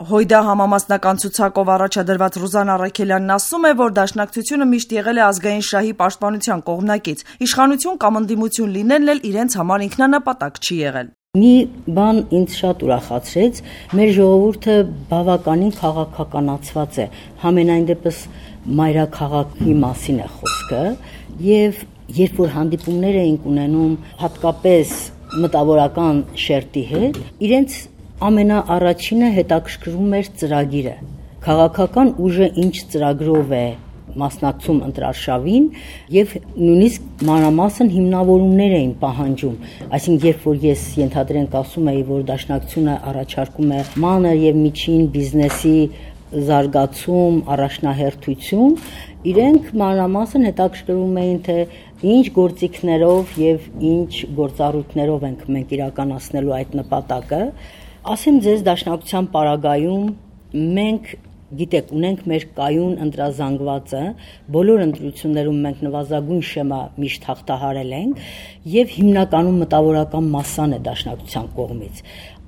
Հույդա համամասնական ցուցակով առաջադրված Ռուզան Առաքելյանն ասում է, որ Դաշնակցությունը միշտ եղել է ազգային շահի պաշտպանության կողմնակից, իշխանություն կամ ընդդիմություն լինելն էլ իրենց համար ինքնանպատակ չի եղել։ Մի բան ինձ շատ ուրախացրեց, մեր ժողովուրդը բավականին քաղաքականացված է, համենայն դեպս մայրաքաղաքի մասին է խոսքը, եւ երբ որ հանդիպումներ էինք ունենում հատկապես մտավորական շերտի հետ, իրենց ամենաառաջինը հետաքրքրում էր ծրագիրը, քաղաքական ուժը ինչ ծրագրով է մասնակցում ընտրարշավին եւ նույնիսկ մանրամասն հիմնավորումներ էին պահանջում, այսինքն երբ որ ես ենթադրենք ասում էի, որ Դաշնակցությունը առաջարկում է մանր եւ միջին բիզնեսի զարգացում, առաջնահերթություն, իրենք մանրամասն հետաքրքրում էին, թե ինչ գործիքներով եւ ինչ գործառույթներով ենք մենք իրականացնելու այդ նպատակը։ Ասեմ ձեզ, Դաշնակցության պարագայում մենք գիտեք, ունենք մեր կայուն ընտրազանգվածը, բոլոր ընտրություններում մենք նվազագույն շեմա միշտ հաղթահարել ենք եւ հիմնականում մտավորական մասսան է Դաշնակցության կողմից։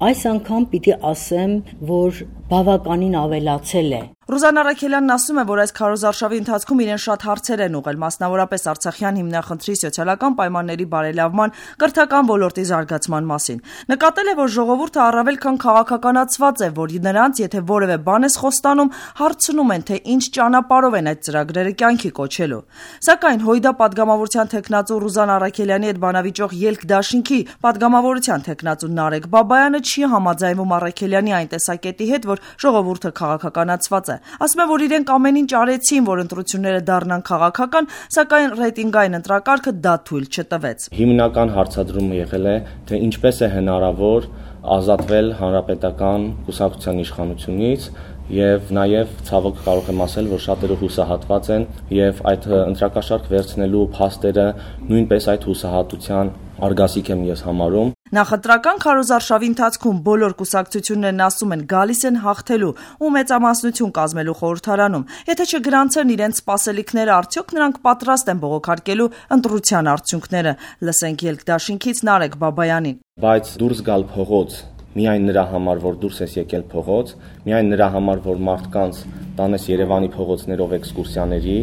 Այս անգամ պիտի ասեմ, որ բավականին ավելացել է։ Ռուզան Առաքելյանն ասում է, որ այս քարոզարշավի ընթացքում իրեն շատ հարցեր են ուղղել, մասնավորապես Արցախյան հիմնախնդրի սոցիալական պայմանների բարելավման, կրթական ոլորտի զարգացման մասին։ Նկատել է, որ ժողովուրդը առավել քան քաղաքականացված է, որ նրանց, եթե որևէ բան ես խոստանում, հարցնում են, թե ինչ ճանապարհով են այդ ծրագրերը կյանքի կոչելու։ Սակայն Հույդա պատգամավորության թեկնածու Ռուզան Առաքելյանի հետ բանավիճող Ելք դաշինքի պատգամավորության թեկնածու Նարեկ Բաբայանը չի համաձայնվում Առաքելյանի այն տեսակետի հետ, որ ժողովուրդը քաղաքականացված է։ Ասում է, որ իրենք ամեն ինչ արեցին, որ ընտրությունները դառնան քաղաքական, սակայն ռեյտինգային ընտրակարգը դա թույլ չտվեց։ Հիմնական հարցադրումը եղել է, թե ինչպես է հնարավոր ազատվել հանրապետական կուսակցության իշխանությունից եւ նաեւ ցավոք կարող եմ ասել, որ շատերը հուսահատված են եւ այդ ընտրակաշարք վերցնելու փաստերը նույնպես այդ հուսահատության արգասիկ եմ ես համարում։ Նախընտրական քարոզարշավի ընթացքում բոլոր կուսակցություններն ասում են գալիս են հաղթելու ու մեծամասնություն կազմելու խորհրդարանում։ Եթե չգրանցեն իրենց սպասելիքները, արդյոք նրանք պատրաստ են բողոքարկելու ընտրության արդյունքները։ Լսենք Ելք դաշինքից Նարեկ Բաբայանին։ Բայց դուրս գալ փողոց միայն նրա համար, որ դուրս ես եկել փողոց, միայն նրա համար, որ մարդկանց տանես Երևանի փողոցներով էքսկուրսիաների,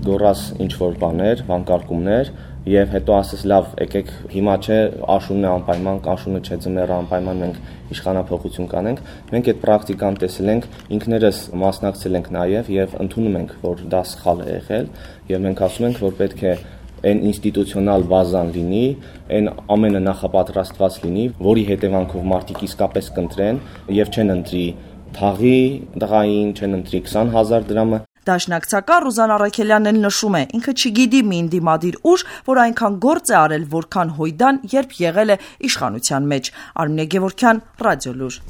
գոռաս ինչ-որ բաներ, վանկարկումներ եւ հետո ասես լավ, եկեք հիմա չէ, աշունն է անպայման, աշունը չէ, ձմեռը անպայման մենք իշխանափոխություն կանենք, մենք այդ պրակտիկան տեսել ենք, ինքներս մասնակցել ենք նաեւ եւ ընդունում ենք, որ դա սխալ է եղել եւ մենք ասում ենք, որ պետք է այն ինստիտուցիոնալ բազան լինի, այն ամենը նախապատրաստված լինի, որի հետևանքով մարդիկ իսկապես կընտրեն եւ չեն ընտրի թաղի տղային, չեն ընտրի 20,000 դրամը։ Դաշնակցական Ռուզան Առաքելյանն էլ նշում է, ինքը չգիտի մի ընդդիմադիր ուժ, որ այնքան գործ է արել, որքան Հույդան, երբ եղել է իշխանության մեջ։ Արմինե Գևորգյան, Ռադիոլուր։